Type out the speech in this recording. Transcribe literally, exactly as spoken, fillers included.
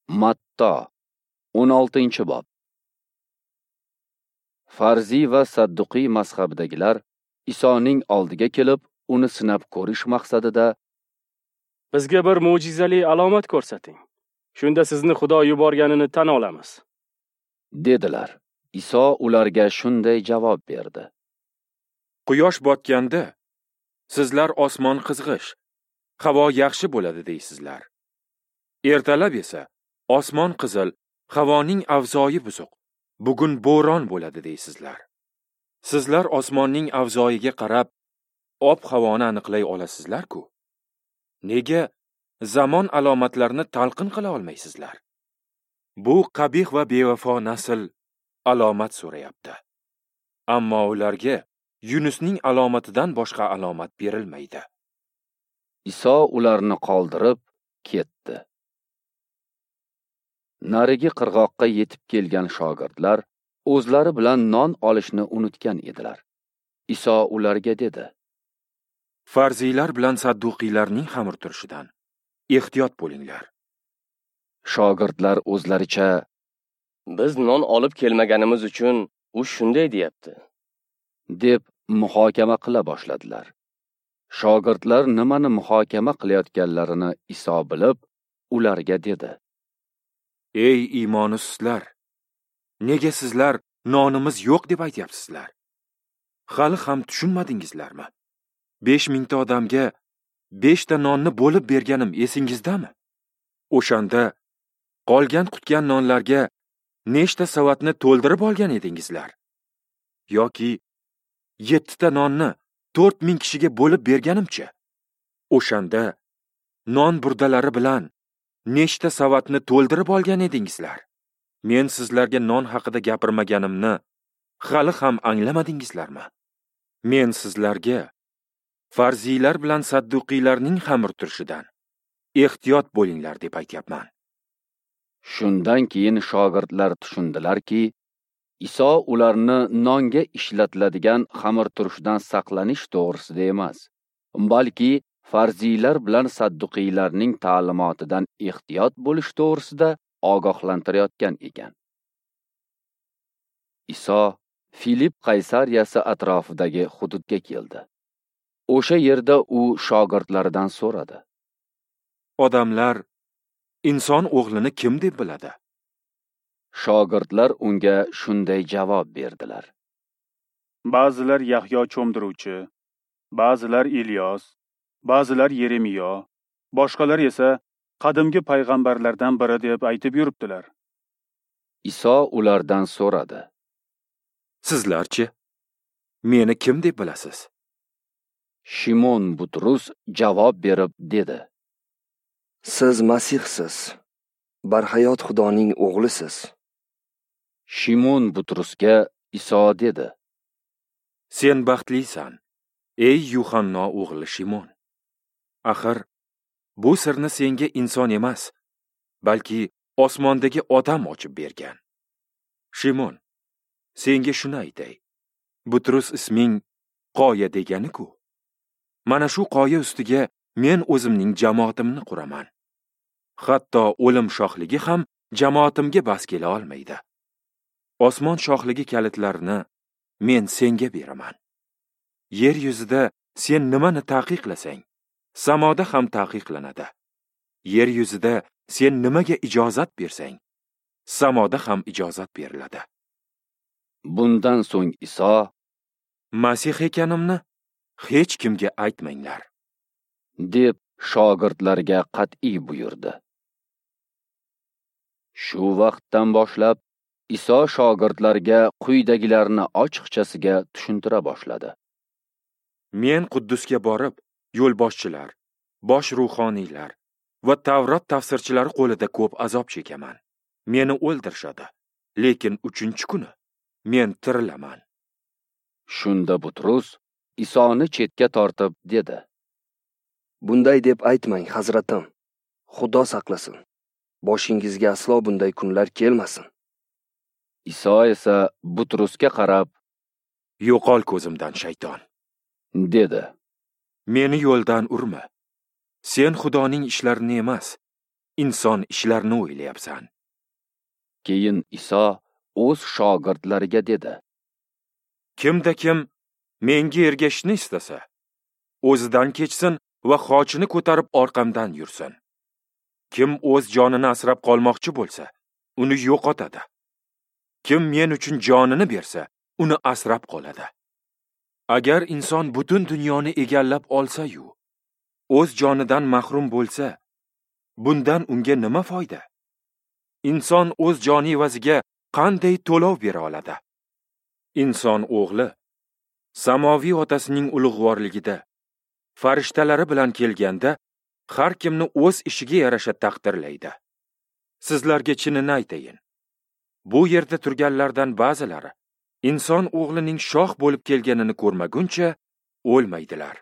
Matto, o'n oltinchi bob. Farziy va Sadduqiy mazhabidagilar Isoning oldiga kelib, uni sinab ko'rish maqsadida "Bizga bir mo'jizali alomat ko'rsating. Shunda sizni Xudo yuborganini tan olamiz", dedilar. Iso ularga shunday javob berdi: "Quyosh botganda sizlar osmon qizg'ish, havo yaxshi bo'ladi deysizlar. Ertalab esa osmon qizil, havoning avzoyi buzuq, bugun bo'ron bo'ladi deysizlar. Sizlar osmonning avzoyiga qarab ob-havoni aniqlay olasizlar-ku. Nega zamon alomatlarini talqin qila olmaysizlar? Bu qabih va bevafo nasl alomat so'rayapti. Ammo ularga Yunusning alomatidan boshqa alomat berilmaydi." Iso ularni qoldirib ketdi. Narigi qirg'oqqa yetib kelgan shogirdlar o'zlari bilan non olishni unutgan edilar. Iso ularga dedi: "Farziylar bilan sadduqiylarning xamir turishidan ehtiyot bo'linglar." Shogirdlar o'zlaricha: "Biz non olib kelmaganimiz uchun u shunday deyapti", deb muhokama qila boshladilar. Shogirdlar nimani muhokama qilayotganlarini Iso bilib, ularga dedi: "Ey iymoni suslar, nega sizlar nonimiz yo'q deb aytyapsizlar? Hali ham tushunmadingizlarmi? Besh mingta odamga beshta nonni bo'lib berganim esingizdami? O'shanda qolgan qutgan nonlarga nechta savatni to'ldirib olgan edingizlar? Yoki yettita nonni to'rt ming kishiga bo'lib berganimcha, o'shanda non burdalari bilan nechta savatni to'ldirib olgan edingizlar? Men sizlarga non haqida gapirmaganimni hali ham anglamadingizlarmi? Men sizlarga farziylar bilan sadduqiylarning xamir turishidan ehtiyot bo'linglar deb aytyapman." Shundan keyin shogirdlar tushundilarki, Iso ularni nonga ishlatiladigan xamir turishidan saqlanish to'g'risida emas, balki farziylar bilan sadduqiylarning ta'limotidan ehtiyot bo'lish to'g'risida ogohlantirayotgan ekan. Iso Filip Qaysariyasi atrofidagi hududga keldi. O'sha yerda u shogirdlaridan so'radi: "Odamlar inson o'g'lini kim deb biladi?" Shogirdlar unga shunday javob berdilar: "Ba'zilar Yahyo cho'mdiruvchi, ba'zilar Ilyos, ba'zilar Yeremiyo, boshqalar esa qadimgi payg'ambarlardan biri deb aytib yuribdilar." Iso ulardan so'radi: "Sizlarchi, meni kim deb bilasiz?" Shimon Butrus javob berib dedi: "Siz Masihsiz, barhayot Xudoning o'g'lisiz." Shimon Butrusga Iso dedi: "Sen baxtlisan, ey Yuhanno o'g'li Shimon. Axir bu sirni senga inson emas, balki osmondagi odam ochib bergan. Shimon, senga shuni aytay. Butrus isming qoya degani-ku. Mana shu qoya ustiga men o'zimning jamoatimni quraman. Hatto o'lim shohligi ham jamoatimga bas kela olmaydi. Osmon shohligi kalitlarini men senga beraman. Yer yuzida sen nimani taqiqlasang, samoda ham taqiqlanadi. Yer yuzida sen nimaga ijozat bersang, samoda ham ijozat beriladi." Bundan so'ng Iso: "Masih ekanimni hech kimga aytmanglar", deb shogirdlarga qat'iy buyurdi. Shu vaqtdan boshlab Iso shogirdlarga quyidagilarni ochiqchasiga tushuntira boshladi: "Men Quddusga borib, yo'lboshchilar, bosh ruhoniylar va Tavrot tafsirchilari qo'lida ko'p azob chekaman. Meni o'ldirishadi, lekin uchinchi kuni men tirilaman." Shunda Butrus Isoni chetga tortib dedi: "Bunday deb aytmang, hazratim. Xudo saqlasin. Boshingizga aslo bunday kunlar kelmasin." Iso esa Butrusga qarab: "Yo'qol ko'zimdan, shayton", dedi. "Meni yo'ldan urma. Sen Xudoning ishlarini emas, inson ishlarini o'ylayapsan. Keyin Iso o'z shogirdlariga dedi: Kimda kim menga ergashishni istasa, o'zidan kechsin va xochini ko'tarib orqamdan yursin. Kim o'z jonini asrab qolmoqchi bo'lsa, uni yo'qotadi. Kim men uchun jonini bersa, uni asrab qoladi. Agar inson butun dunyoni egallab olsa-yu, o'z jonidan mahrum bo'lsa, bundan unga nima foyda? Inson o'z joni evaziga qanday to'lov bera oladi? Inson o'g'li samoviy otasining ulug'vorligida farishtalari bilan kelganda har kimni o'z ishiga yarasha taqdirlaydi. Sizlarga chinini aytayin. Bu yerda turganlardan ba'zilari inson o'g'lining shoh bo'lib kelganini ko'rmaguncha o'lmaydilar.